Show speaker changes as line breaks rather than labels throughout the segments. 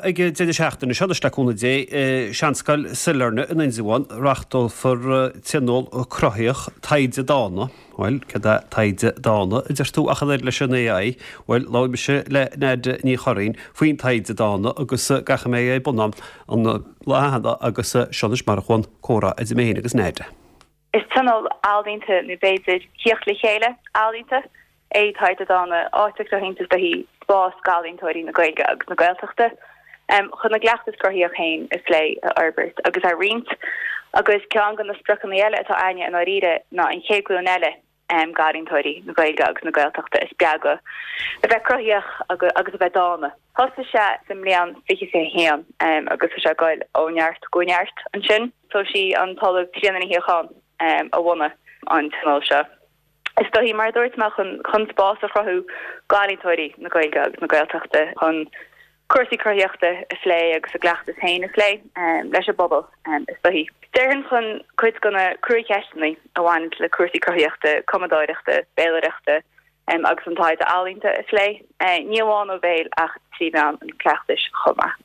ag an deireadh seachtaine seo, anois le cúnamh Dé, i Seanscoil Sailearna in Indreabhán, reáchtálfar tionól cruthaitheach Taighde Dána. Bhuel, céard é taighde dána, a deir tú, ach an oiread leis an AI? Bhuel, labhair mise le Nadia Ní Churraoin faoin taighde dána agus gach a mbeidh ar bun ann an lá cheana agus seo anois mar a chuaigh an comhrá idir mé féin agus Nadia.
Is tionól ealaíonta nó b'fhéidir theacht le chéile ealaíonta é Taighde Dána, áit a chruthaíonn is dóichí spás d'ealaíontóirí na Gaeilge agus na Gaeltachta chun a gcleachtas cruthaitheach féin a phlé, a fhorbairt agus a roinnt. Agus ceann de na spriocanna eile atá againne i ndáiríre ná an chéad ghlúin eile d'ealaíontóirí na Gaeilge agus na Gaeltachta a spreagadh a bheith cruthaitheach agus a bheith dána. Thosaigh sé sa mbliain 2021 agus tá sé ag goil ó neart go neart ansin. So sí an tOllamh Tríona Ní Shíocháin a bhunaigh an tionól seo. Is dóichí, mar a dúirt mé, chun spás a chruthú d'ealaíontóirí na Gaeilge agus na Gaeltachta chun cúrsaí cruthaitheachta a phlé agus a gcleachtas féin a phlé leis an bpobal, is dóichí. Déarfainn chun cuid de na cruacheisteanna a bhaineann le cúrsaí cruthaitheachta, cumadóireachta, béalaireachta agus an taighde ealaíonta a phlé, ní amháin ó bhéal ach trí mheán an chleachtais chomh maith.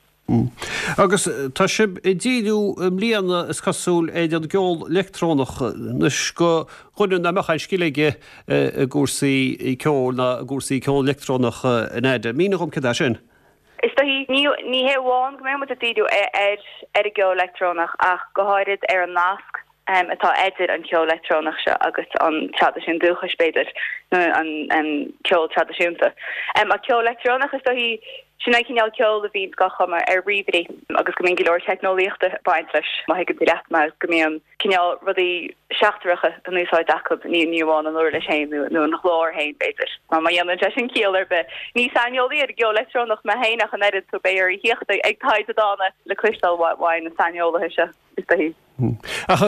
Agus tá sibh ag díriú i mbliana, is cosúil, ar an gceol leictreonach. Anois, do dhuine nach mbeadh aon scil aige i gcúrsaí ceoil ná i gcúrsaí ceol leictreonach, a Nadia, mínigh dhom céard é sin?
Is dóichí, ní hé amháin go mbeidh muid ag díriú ar an gceol leictreonach ach go háirid ar an nasc atá idir an ceol leictreonach seo agus an traidisiún dúchais, b'fhéidir, nó an ceol traidisiúnta. Ach ceol leictreonach, is dóichí, sin an cineál ceoil a bhíonns á chumadh ar ríomhairí agus go mbíonn go leor teicneolaíochta ag baint leis, má thuigeann tú leat mé, go mbíonn cineál rudaí seachtracha in úsáid acu, ní amháin an uirlis féin nó an glór féin, b'fhéidir. Má dhéanann sé sin ciall ar bith. Ní saineolaí ar an gceol leictreonach mé féin ach an oiread, so beidh oraibh theacht ag Taighde Dána le cloisteáil uaidh na saineolaithe seo, is dóichí.
Ach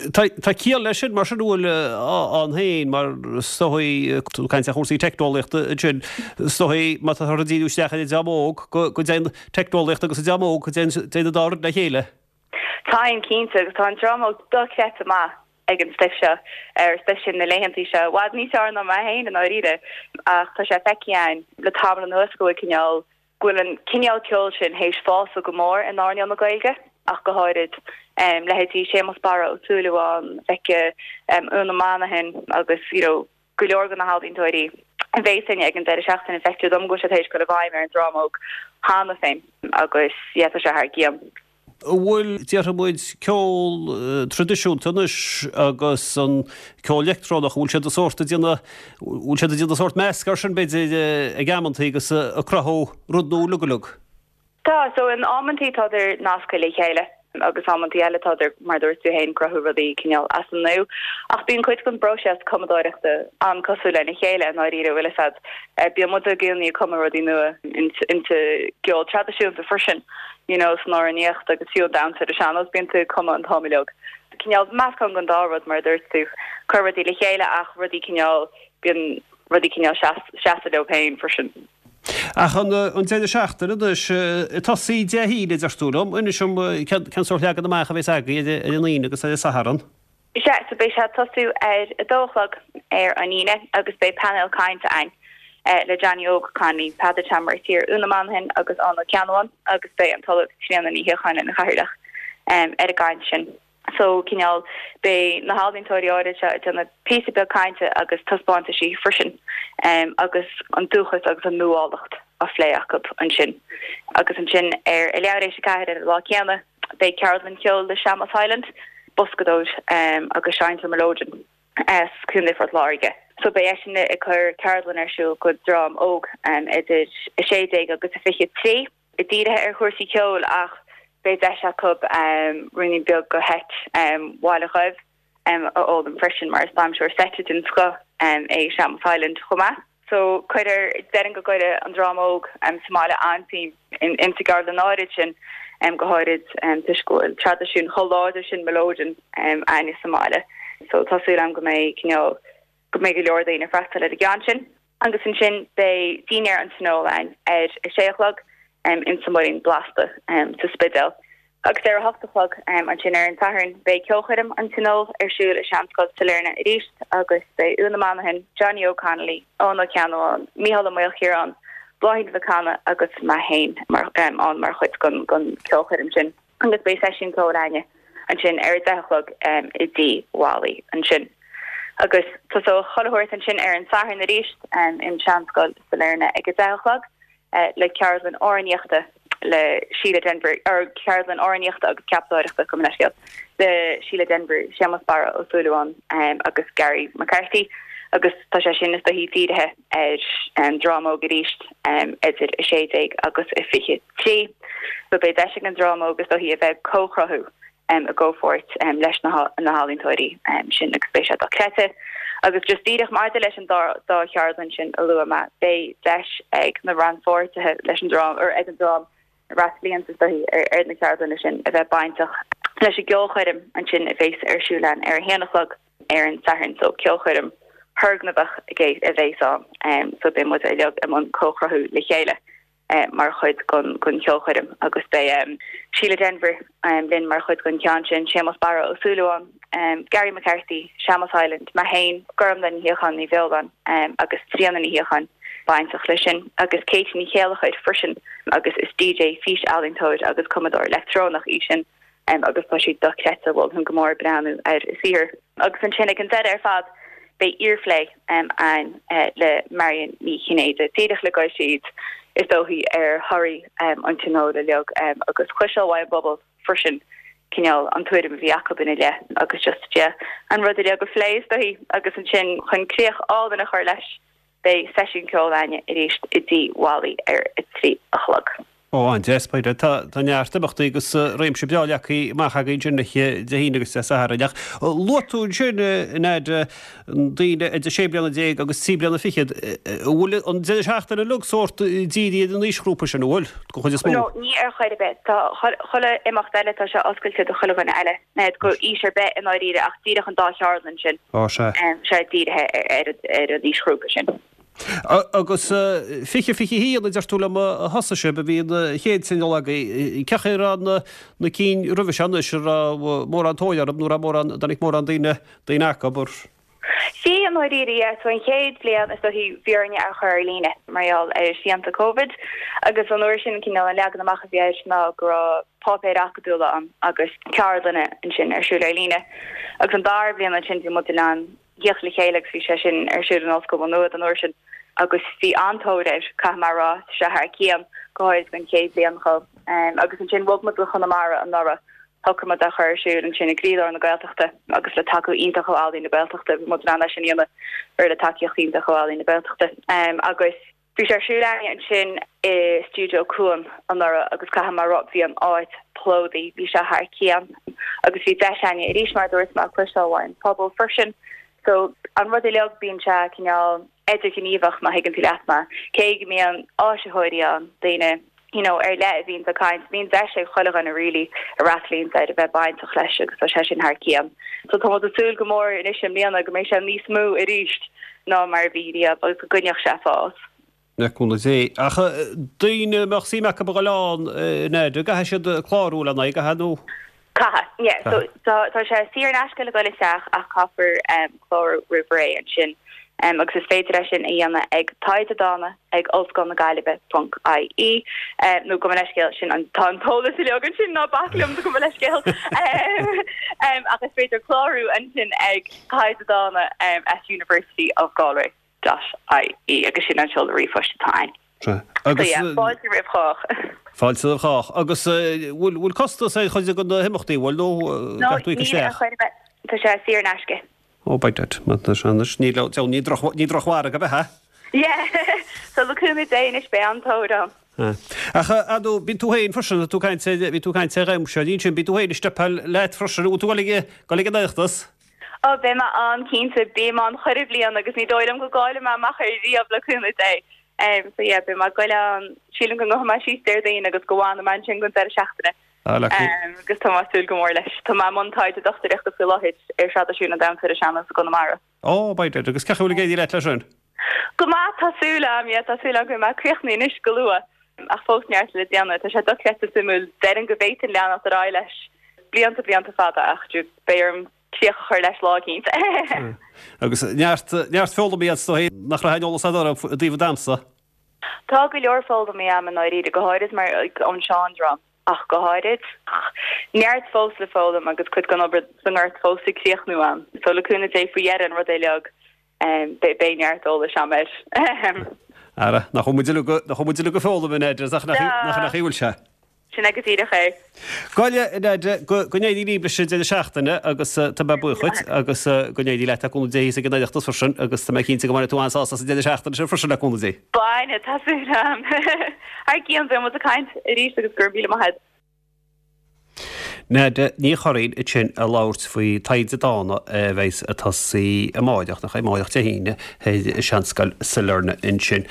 tá ciall leis sin, mar sin, an bhfuil ann féin, mar is dóichí, tú ag caint ar chúrsaí teicneolaíochta ansin, is dóichí, má táthar ag díriú isteach ar an dream óg, go dtéann teicneolaíocht agus an dream óg, go dtéann an dá rud le chéile.
Téann, cinnte, agus tá an dream óg dochreidte maith ag an stuif seo, ar stuif sin na laethantaí seo, i bhfad níos fearr ná mé féin i ndáiríre, ach tá sé feicthe againn le tamall anuas go bhfuil cineál, go bhfuil an cineál ceoil sin théis fásadh go mór in earnáil na Gaeilge, ach go háirid leithéidí Séamus Barra Ó Súilleabháin, feicthe Úna Monaghan agus you know go leor de na healaíontóirí a bheas againne ag an deireadh seachtaine, feictear dom go bhfuil sé théis dul i bhfeidhm ar an dream óg cheana féin agus yeah tá sé thar cionn.
An bhfuil, déarfaidh muid, ceol traidisiúnta anois agus an ceol leictreonach, an bhfuil siad ag sórt ag déanamh, bhfuil siad ag déanamh sórt measc air sin b'fhéidir ag amantaí agus ag cruthú rud nua uilig uilig?
Tá, so in amantaí tádar nasctha le chéile agus amantaí eile tádar, mar a dúirt tú féin, cruthú rudaí cineál as an nua. Ach bíonn cuid den bpróiseas cumadóireachta an-cosúil lena chéile i ndáiríre, bhfuil fhios a'd. Bíonn muid i gcónaí ag cumadh rudaí nua insa gceol traidisiúnta freisin. you know, san amhránaíocht agus fiú an damhsa ar an sean-nós, bíonn tú ag cumadh an t-am uilig. Cineál meascán den dá rud, mar a dúirt tú, cur rudaí le chéile ach rudaí cineál, bíonn rudaí cineál seasamh leo féin freisin.
Ach an deireadh seachtaine anois, ag tosaí Dé hAoine, a deir tú liom, inis dom cén sórt leagan amach a bheas agaibh ar an Aoine agus ar an Satharn?
Sea, so beidh sé ag tosú ar a dó a chlog ar an Aoine agus beidh painéal cainte againn le Johnny Óg Connolly, Peadar Tom Mercier, Úna Monaghan agus Eoin Ó Ceannabháin agus beidh an tOllamh Tríona Ní Shíocháin ina chathaoirleach ar an gcaint sin. So, cineál, beidh na healaíontóirí áirid seo ag déanamh píosa beag cainte agus taispeántaisí freisin agus an dúchas agus an nuálacht á phlé acu ansin. Agus ansin ar a leathuair éis a ceathair ar an lá céanna, Beidh ceardlann cheoil le Séamus Hyland, boscadóir agus seinnteoir mileoidin as Contae Phort Láirge. So beidh eisean ag cur ceardlann ar siúl go dream óg idir 16 agus 23, dírithe ar chúrsaí ceoil ach beidh deis acu ruainnín beag de sheit Bhaile Dhuibh. a fhoghlaim freisin mar is damhsóir seite den scoth é Séamus Hyland chomh maith. So cuirfear, déarfainn go gcuirfidh an dream óg sa mbaile an-suim insa gceardlann áirid sin, go háirid toisc go bhfuil traidisiún chomh láidir sin mileoidin againne sa mbaile. So tá súil agam go mbeidh cineál, go mbeidh go leor daoine ag freastal ar an gceann sin. Agus ansin beidh dinnéar an Tionóil ann ar a sé a chlog insa Muirín Blasta sa Spidéal. Agus ar a hocht a chlog ansin ar an Satharn beidh ceolchoirm an Tionóil ar siúl i Seanscoil Sailearna arís agus beidh Úna Monaghan, Johnny Óg Connolly, Eoin Ó Ceannabháin, Mícheál Ó Maoilchiaráin. Bláithín Mhic Cana agus mé féin mar ann mar chuid den ceolchoirm sin agus beidh seisiún ceoil againne ansin ar a 10 a chlog i dTigh Mholly ansin. Agus tosóidh chuile shórt ansin ar an Satharn arís in Seanscoil Sailearna ag a 10 a chlog. le ceardlann amhránaíochta le Síle Denvir, or ceardlann amhránaíochta agus ceapadóireachta, gabh mo leithscéal, le Síle Denvir, Séamus Barra Ó Súilleabháin agus Gary McCarthy agus tá sé sin is dóichí dírithe ar an dream óg arís idir 16 agus 23. So beidh deis ag an dream óg is dóichí a bheith ag comhchruthú i gcomhpháirt leis na healaíontóirí sin agus beidh sé dochreidte. Agus just díreach maidir leis an dá cheardlann sin a luaigh mé, beidh deis ag na rannpháirtithe leis an dream, or ag an dream a fhreastalaíonns is dóichí ar na ceardlanna sin a bheith bainteach leis an gceolchoirm ansin a bheas ar siúl ann ar a haon a chlog ar an Satharn. So ceolchoirm thurgnamhach a bheas ann so beidh muid uilig i mbun comhchruthú le chéile. mar chuid den cheolchoirm agus beidh Síle Denvir linn mar chuid den cheann sin, Séamus Barra Ó Súilleabháin, Gary McCarthy, Séamus Hyland, mé féin, Gormlaith Ní Shíocháin Ní Bheoláin agus Tríona Ní Shíocháin bainteach leis sin agus Katie Ní Chéilleachair freisin agus is DJ, fís-ealaíontóir agus cumadóir leictreonach í sin agus tá sí dochreidte, mholfainn go mór breathnú ar a saothar. Agus ansin ag an deireadh ar fad beidh iarphlé ann le Marion Ní Chinnéide, díreach le dul síos is dóichí ar thorthaí an tionóil uilig agus cloisteáil uaidh an bpobal freisin cineál an tuairim a bhí acu ina leith agus just yeah an rud uilig a phlé is dóichí agus ansin chun críoch álainn a chur leis Beidh seisiún ceoil againne arís i dTigh Mholly ar a 3 a chlog.
Ó, an-deas, Pádraig. Tá tá neart imeachtaí agus réimse breá leagtha amach againn ansin Dé hAoine agus Dé Sathairn. Ach luaigh tú ansin, a Neid, daoine idir sé bliana déag agus trí bliana fichead. An bhfuil an deireadh seachtaine uilig sórt dírithe ar an aoisghrúpa sin, an bhfuil, den chuid is mó?
No, ní ar chor ar bith. Tá chuile imeacht eile, tá sé oscailte do chuile dhuine eile. Do aois ar bith i ndáiríre ach díreach an dá cheardlann sin.
Ó, sea.
Sé dírithe ar an aoisghrúpa sin.
Agus 20, 21 a deir tú liom a thosaigh sibh, a bhí an chéad tionól agaibh. Cén chaoi a raibh na cinn roimhe seo anois, an raibh mórán tóir orthu nó raibh mórán, dtáinig mórán daoine, daoine acu, ar.
Bhí, i ndáiríre, yeah. So an chéad bhliain is dóichí bhí orainne é a chur ar líne mar gheall ar shrianta Covid agus an uair sin cineál an leagan amach a bhí air ná go raibh páipéir acadúla ann agus ceardlanna ansin ar siúl ar líne. Agus an dara bliain ansin bhí muid in ann theacht le chéile agus bhí sé sin ar siúl in Ollscoil Mhá Nuad an uair sin agus bhí an-tóir air, caithfidh mé a rá, tá sé thar cionn, go háirid don chéad bhliain chomh. Agus ansin bhog muid go Conamara anuraidh, shocraigh muid é a chur ar siúl ansin i gcroílár na Gaeltachta agus le tacú iontach ó Ealaín na Gaeltachta, bhí muid in ann é sin a dhéanamh ar le tacaíocht iontach ó Ealaín na Gaeltachta. Agus. Bhí sé ar siúl againne ansin i stiúideo Cuan anuraidh agus caithfidh mé a rá bhí an áit plódaithe, bhí sé thar cionn agus bhí deis againne arís mar a dúirt mé cloisteáil uaidh an pobal freisin. So an rud uilig bíonn sé cineál idirghníomhach má thuigeann tú leat mé. Cé go mbíonn áisitheoirí ann, daoine you know ar leith a bhíonns ag caint, bíonn deis ag chuile dhuine really a fhreastalaíonns air a bheith bainteach leis agus tá sé sin thar cionn. So tá muid ag súil go mór anois i mbliana go mbeidh sé níos mó arís ná mar a bhí riamh agus go gcoinneoidh sé ag fás.
Le cúnamh Dé. Ach daoine a mbeadh suim acu a dhul ann, a Neid, an gcaithfidh siad clárú lena aghaidh, an gcaithfidh nó?
Caithfidh, yeah. So tá sé saor in aisce le dhul isteach ach caithfear clárú roimh ré ansin. Agus is féidir é sin a dhéanamh ag taighde dána ag Ollscoil na Gaillimhe ponc ie nó gabh mo leithscéal, sin an, tá an t-eolas uilig ansin, ná bac liom, gabh mo leithscéal. Ach is féidir clárú ansin ag taighde dána at University of Galway. dot ie agus sin an seoladh ríomhphoist atá ann.
Sea. Agus.
So yeah, fáilte roimh chách.
Fáilte roimh chách. Agus bhfuil, bhfuil costas ar chuid de na himeachtaí, bhfuil, nó
No, caithfidh tú íoc níl ar isteach? chor ar bith. Tá sé saor in aisce.
Oh, by dad. Má tá sé anois, ní, ní droch, ní drochmhargadh ab ea?
Yeah. So le cúnamh Dé anois beidh an-tóir ann.
Ach, ar ndóigh, bíonn tú féin freisin, tú ag caint ar, bhí tú ag caint ar dhamhsa, ansin, bíonn tú féin ag steipeáil leat freisin, bhfuil tú ag dul ag, dul ag an Oireachtas?
Ó, beidh mé ann cinnte. Bím ann chuile bhliain agus ní dóigh liom go gcaillfidh mé amach air riamh le cúnamh Dé. So yeah, beidh mé ag goil ann. Sílim go ngabhfaidh mé síos Déardaoin agus go bhfanfaidh mé ansin don deireadh seachtaine.
Ah, lucky.
Agus tá mé ag súil go mór leis. Tá mé i mbun taighde dochtúireachta faoi láthair ar thraidisiún an damhsa ar an sean-nós i gConamara.
Ó, by dad. Agus cén chaoi a bhfuil ag éirí leat leis sin?
Go maith, tá súil agam, yeah, tá súil agam go mbeidh mé críochnaithe anois go luath. Ach fós neart le déanamh. Tá sé dochreidte suimiúil. Déarfainn go bhféadfainn leanacht ar aghaidh leis blianta, blianta fada ach beidh orm críoch a chur leis lá eicínt.
Agus neart, neart foghlamtha agat is dóigh nach raibh aon eolas agat orthu i dtaobh an damhsa.
Tá go leor foghlamtha a'm i ndáiríre, go háirid mar ón seandream ach go háirid. Ach neart fós le foghlaim agus cuid den obair sa ngort fós ag críochnú a'm. So le cúnamh Dé faoi dheireadh an rud uilig beidh neart eolais a'm air.
Ara, nach bhfuil muid uilig, nach bhfuil muid uilig ag foghlaim, a Nadia, ach nach nach bhfuil sé?
Sin é go díreach é.
Bhuel, a Nadia, go n-éirí libh leis an deireadh seachtaine agus tá mé buíoch dhuit agus go n-éirí leat le cúnamh Dé thíos ag an Oireachtas freisin agus tá mé cinnte go mbainfidh tú an-sásamh as an deireadh seachtaine sin freisin le cúnamh Dé.
Bainfidh, tá súil agam. Thar cionn, beidh muid ag caint arís agus go raibh míle maith agat.
Nadia Ní Churraoin ansin ag labhairt faoi Taighde Dána a bheidh ag tosaí amáireach, nach é amáireach Dé hAoine, ar Seanscoil Sailearna ansin.